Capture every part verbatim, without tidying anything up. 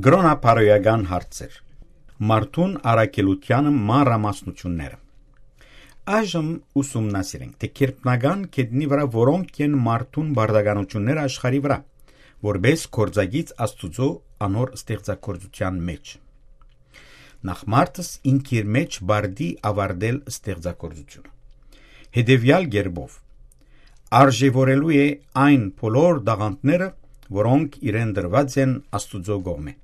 Կրոնապարոյական հարցեր։ Մարդուն առաքելութեանը մանրամասնութիւնները։ Այժմ ուսումնասիրենք, թէ գերբնական գետնի վրայ որոնք են մարդուն պարտականութիւնները աշխարհի վրայ, որպէս գործակից Աստուծոյ անոր ստեղծագործութեան մէջ։ Նախ, մարդս ինք իր մէջ պարտի ավարտել ստեղծագործութիւնը։ Հետեւեալ կերպով, արժեւորելու է այն բոլոր տաղանդները, որոնք իրեն տրուած են Աստուծոյ կողմէ։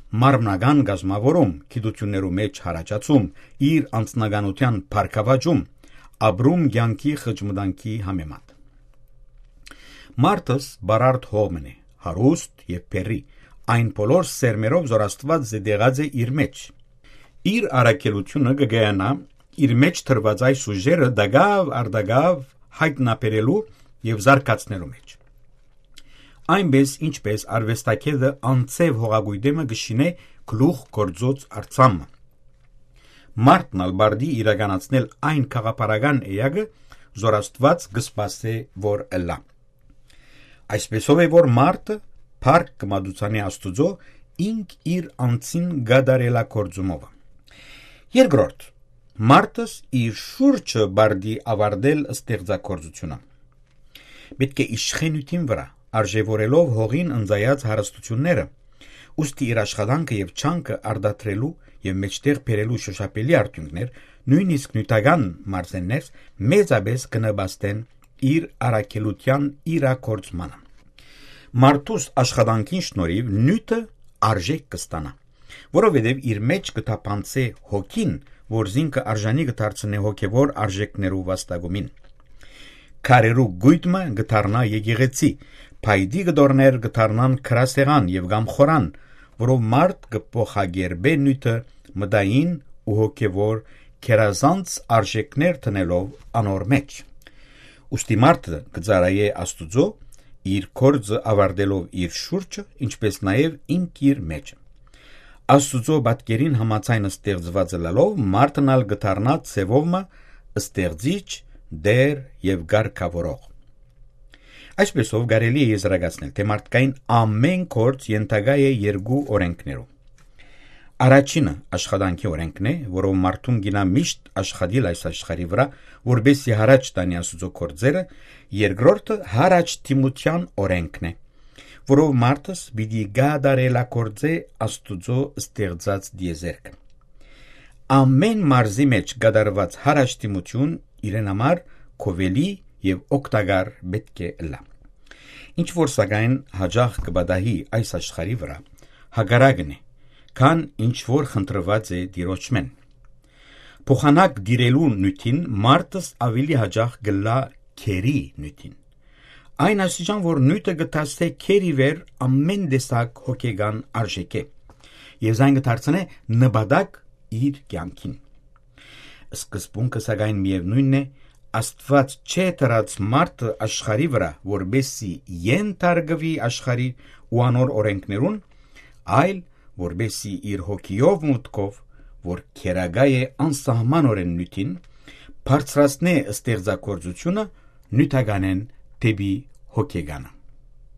Մարմնական կազմաւորում, գիտութիւններու մէջ յառաջացում, իր անձնականութեան բարգաւաճում, ապրում կեանքի խճմտանքի համեմատ։ Մարդս պարարտ հող մըն է, հարուստ եւ բեռի, այն բոլոր սերմերով, որ Աստուած զետեղած է իր մէջ։ Իր առաքելութիւնը կը կայանայ իր մէջ դրուած այս ուժերը տակաւ առ տակաւ յայտնաբերելու եւ զարգացնելու մէջ։ Այնպէս, ինչպէս արուեստագէտը անձեւ հողակոյտէ մը կը շինէ գլուխ գործոց արձանը, մարդն ալ պարտի իրականացնել այն գաղափարական էակը, որ Աստուած կը սպասէ, որ ըլլայ։ Այսպէսով է, որ մարդը փառք կը մատուցանի Աստուծոյ ինք իր անձին կատարելագործումով։ Երկրորդ, մարդս իր շուրջը պարտի ավարտել ստեղծագործութիւնը։ Պէտք է իշխե նիւթին վրայ, արժեւորելով հողին ընծայած հարստութիւնները, ուստի իր աշխատանքը եւ ջանքը արտադրելու եւ մէջտեղ բերելու շոշափելի արդիւնքներ, նոյնիսկ նիւթական մարզերներ, մեծապէս կը նպաստեն իր առաքելութեան իրագործմանը։ Մարդուս աշխատանքին շնորհիվ նիւթը արժէք կը ստանայ, որովհետեւ իր մէջ կը թափանցէ հոգին, որ զինքը արժանի կը դարձնէ հոգեւոր արժէքներու վաստակումին։ Քարերու կոյտ մը կը դառնայ եկեղեցի, փայտի կտորներ կը դառնան գրասեղան եւ կամ խորան, որով մարդ կը փոխակերպէ նիւթը մտային ու հոգեւոր գերազանց արժէքներ դնելով անոր մէջ։ Ուստի մարդը կը ծառայէ Աստուծոյ, իր գործը ավարտելով իր շուրջը, ինչպէս նաեւ ինք իր մէջը։ Աստուծոյ պատկերին համաձայն ստեղծուած ըլլալով, մարդն ալ կը դառնայ ձեւով մը ստեղծիչ, տէր եւ կարգաւորող։ Այսպէսով կարելի է եզրակացնել, թէ մարդկային ամէն գործ ենթակայ է երկու օրէնքներու։ Առաջինը աշխատանքի օրէնքն է, որով մարդուն կ'նա միշտ աշխատիլ այս աշխարհի վրայ, որպէս զի յառաջ տանի Աստուծոյ գործերը, երկրորդը յառաջդիմութեան օրէնքն է, որով մարդս պիտի կատարելագործէ Աստուծոյ ստեղծած տիեզերքը։ Ամէն մարզի մէջ կատարուած յառաջդիմութիւն իրեն համար գովելի եւ օգտակար պէտք է ըլլայ։ Ինչ որ սակայն յաճախ կը պատահի այս աշխարհի վրայ, հակառակն է, քան ինչ որ խնդրուած է Տիրոջմէն։ Փոխանակ տիրելու նիւթին մարդս աւելի յաճախ կ'ըլլայ գերի նիւթին։ Այն աստիճան, որ նիւթը կը դասէ գերի վեր ամէն տեսակ հոգեկան արժէքէ եւ զայն կը դարձնէ նպատակ իր կեանքին։ Սկզբունքը, սակայն, միեւնոյնն է, Աստուած չէ դրած մարդը աշխարհի վրայ, որպէս զի ենթարկուի աշխարհի ու անոր օրէնքներուն, այլ որպէս զի իր հոգիով, մուտքով, որ գերակայ է անսահմանօրէն նիւթին, բարձրացնէ ստեղծագործութիւնը նիւթականէն դէպի հոգեկանը։